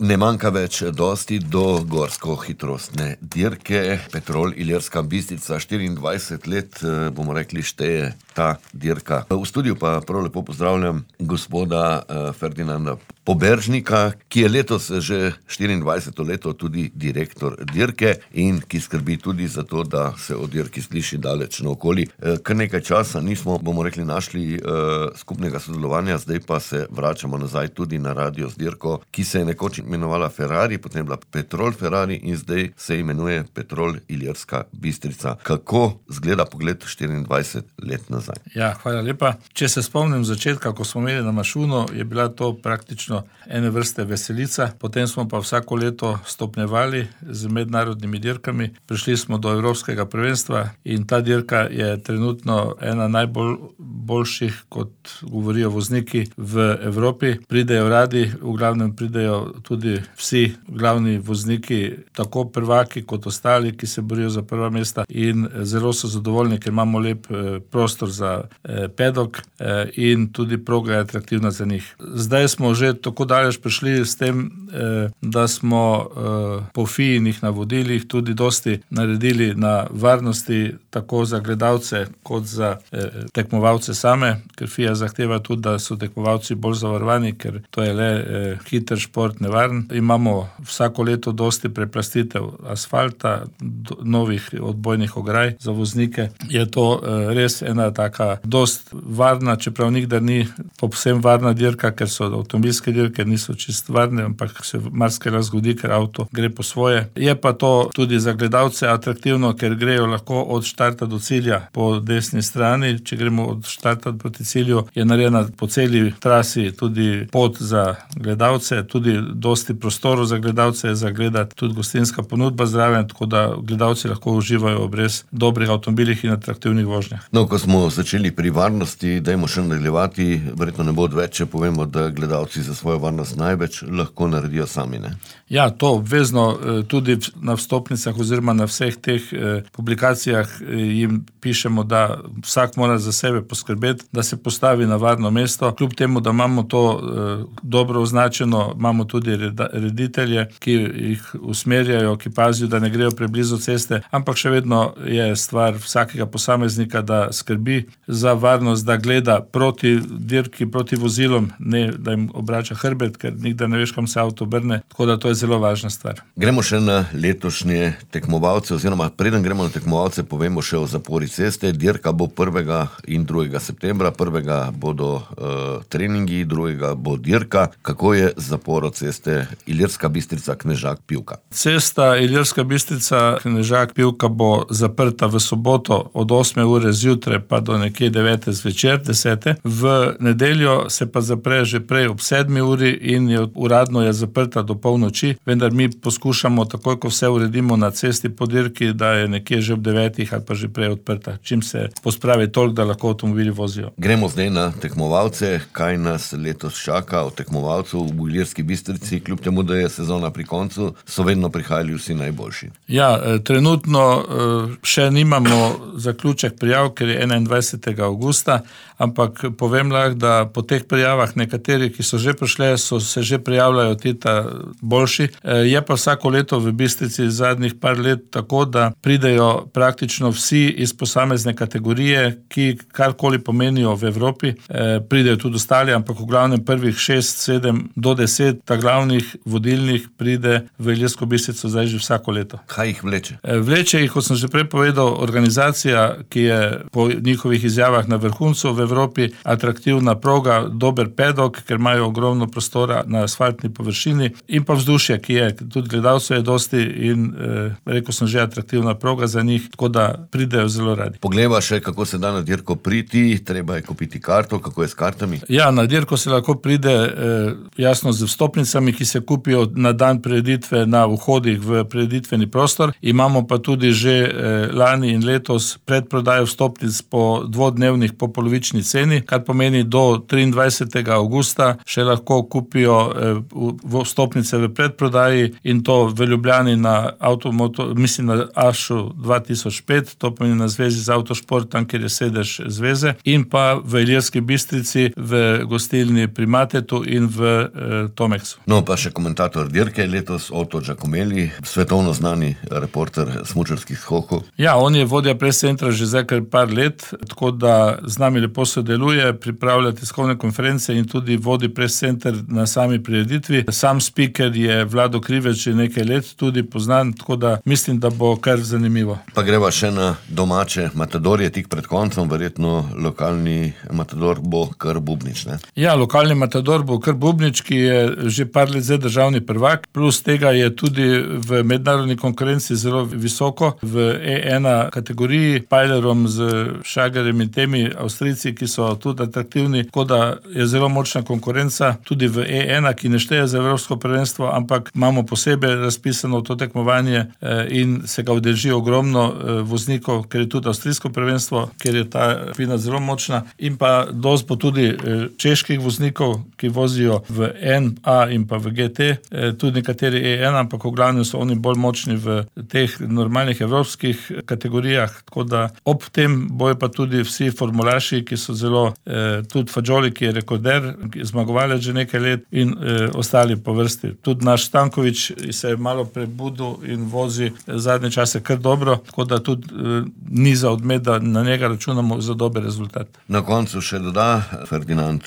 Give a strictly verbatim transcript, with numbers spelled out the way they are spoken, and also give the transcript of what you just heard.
Ne manjka več dosti do gorsko-hitrostne dirke. Petrol Ilirska Bistrica, štiriindvajset let, bomo rekli, šteje ta dirka. V studiu pa prav lepo pozdravljam gospoda Ferdinanda Poberžnika, ki je letos že štiriindvajseto leto tudi direktor dirke in ki skrbi tudi za to, da se o dirki sliši daleč naokoli. Kar nekaj časa nismo, bomo rekli, našli skupnega sodelovanja, zdaj pa se vračamo nazaj tudi na radio z dirko, ki se je nekoč imenovala Ferrari, potem bila Petrol Ferrari in zdaj se imenuje Petrol Ilirska Bistrica. Kako zgleda pogled štiriindvajset let nazaj? Ja, hvala lepa. Če se spomnim začetka, ko smo imeli na Mašunu, je bila to praktično ene vrste veselica, potem smo pa vsako leto stopnjevali z mednarodnimi dirkami. Prišli smo do evropskega prvenstva in ta dirka je trenutno ena najbolj boljših, kot govorijo vozniki v Evropi. Pridejo radi, v glavnem pridejo tudi vsi glavni vozniki, tako prvaki kot ostali, ki se borijo za prva mesta in zelo so zadovoljni, ker imamo lep prostor za pedok in tudi proga je atraktivna za njih. Zdaj smo že tako daleč prišli s tem, da smo po FIA-inih navodilih tudi dosti naredili na varnosti, tako za gledalce kot za tekmovalce same, ker FIA zahteva tudi, da so tekmovalci bolj zavarovani, ker to je le hiter šport, nevaren. Imamo vsako leto dosti preplastitev asfalta, novih odbojnih ograj za voznike. Je to res ena taka dost varna, čeprav nikdar ni povsem varna dirka, ker so avtomobilske dirke, niso čist varne, ampak se marsikaj zgodi, ker avto gre po svoje. Je pa to tudi za gledalce atraktivno, ker grejo lahko od štarta do cilja po desni strani. Če gremo od štarta proti cilju, je narejena po celi trasi tudi pot za gledalce, tudi dosti prostorov za gledalce je za gledati, tudi gostinska ponudba zraven, tako da gledalci lahko uživajo ob res dobrih avtomobilih in atraktivnih vožnjah. No, ko smo začeli pri varnosti, dajmo še nadaljevati, verjetno ne bo odveč, če povemo, da gledalci za svojo varnost največ lahko naredijo sami, ne? Ja, to obvezno tudi na vstopnicah oziroma na vseh teh publikacijah jim pišemo, da vsak mora za sebe poskrbeti, da se postavi na varno mesto. Kljub temu, da imamo to dobro označeno, imamo tudi reditelje, ki jih usmerjajo, ki pazijo, da ne grejo preblizu ceste, ampak še vedno je stvar vsakega posameznika, da skrbi za varnost, da gleda proti dirki, proti vozilom, ne da jim obrača hrbet, ker nikdar ne veš, kam se avto obrne, tako da to je zelo važna stvar. Gremo še na letošnje tekmovalce, oziroma preden gremo na tekmovalce, povemo še o zapori ceste. Dirka bo prvega in drugega septembra, prvega bodo uh, treningi, drugega bo dirka. Kako je z zaporo ceste Ilirska Bistrica Knežak Pivka? Cesta Ilirska Bistrica Knežak Pivka bo zaprta v soboto od osme ure zjutraj pa do nekje devete zvečer, desete. V nedeljo se pa zapre že prej ob sedmi uri in je uradno je zaprta do polnoči, vendar mi poskušamo takoj, ko vse uredimo na cesti po dirki, da je nekje že ob devetih ali pa že prej odprta, čim se pospravi toliko, da lahko avtomobili vozijo. Gremo zdaj na tekmovalce. Kaj nas letos čaka od tekmovalcev v Ilirski Bistrici, kljub temu, da je sezona pri koncu, so vedno prihajali vsi najboljši? Ja, trenutno še nimamo zaključek prijav, ker je enaindvajsetega avgusta, ampak povem lahko, da po teh prijavah nekateri, ki so že prišle, so se že prijavljajo tita boljši. Je pa vsako leto v Bistrici zadnjih par let tako, da pridejo praktično vsi iz posamezne kategorije, ki karkoli pomenijo v Evropi. Pridejo tudi ostali, ampak v glavnem prvih šest, sedem do deset ta glavnih vodilnih pride v Ilirsko Bistrico zdaj že vsako leto. Kaj jih vleče? Vleče jih, kot sem že prej povedal, organizacija, ki je po njihovih izjavah na vrhuncu v Evropi, atraktivna proga, dober pedok, ker imajo ogromno prostora na asfaltni površini in pa vzdušje, ki je, tudi gledalcev je dosti in eh, rekel sem že atraktivna proga za njih, tako da pridejo zelo radi. Poglejva še, kako se da na dirko priti, treba je kupiti karto, kako je s kartami? Ja, na dirko se lahko pride eh, jasno z vstopnicami, ki se kupijo na dan prireditve na vhodih v prireditveni prostor. Imamo pa tudi že eh, lani in letos predprodajo vstopnic po dvodnevnih po polovični ceni, kar pomeni do triindvajsetega avgusta še lahko kupijo eh, vstopnice v predprodaji in to v Ljubljani na avtomoto, mislim na Ašu dva tisoč pet, to pomeni na zvezi z avtošport, tam, kjer je sedež zveze, in pa v Ilirski Bistrici, v gostilni pri Matetu in v eh, Tomeksu. No, pa še komentator dirke letos, Oto Giacomelli, svetovno znani reporter smučarskih skokov. Ja, on je vodja pres centra že zdaj kar par let, tako da z nami lepo sodeluje, pripravlja tiskovne konference in tudi vodi pres center na sami prireditvi. Sam speaker je Vlado Krivec že nekaj let tudi poznan, tako da mislim, da bo kar zanimivo. Pa greva še na domače matadorje tik pred koncem, verjetno lokalni matador bo kar Bubnič, ne? Ja, lokalni matador bo kar Bubnič, ki je že par let zdaj državni prvak, plus tega je tudi v mednarodni konkurenci zelo visoko, v E ena kategoriji, Pajlerom z Šagerjem in temi Avstrijci, ki so tudi atraktivni, tako da je zelo močna konkurenca, tudi v E ena, ki ne šteje za evropsko prvenstvo, ampak imamo posebej razpisano to tekmovanje in se ga udeleži ogromno voznikov, ker je tudi avstrijsko prvenstvo, ker je ta skupina zelo močna, in pa dosti bo tudi čeških voznikov, ki vozijo v N A in pa v G T, tudi nekateri E ena, ampak v glavnem so oni bolj močni v teh normalnih evropskih kategorijah, tako da ob tem bojo pa tudi vsi formulaši, ki so zelo, eh, tudi Fagioli, ki je rekorder, zmagovalec že nekaj let, in eh, ostali po vrsti. Tudi naš Stanković se je malo prebudil in vozi zadnje čase kar dobro, tako da tudi eh, ni za odmet, da na njega računamo za dober rezultat. Na koncu še doda Ferdinand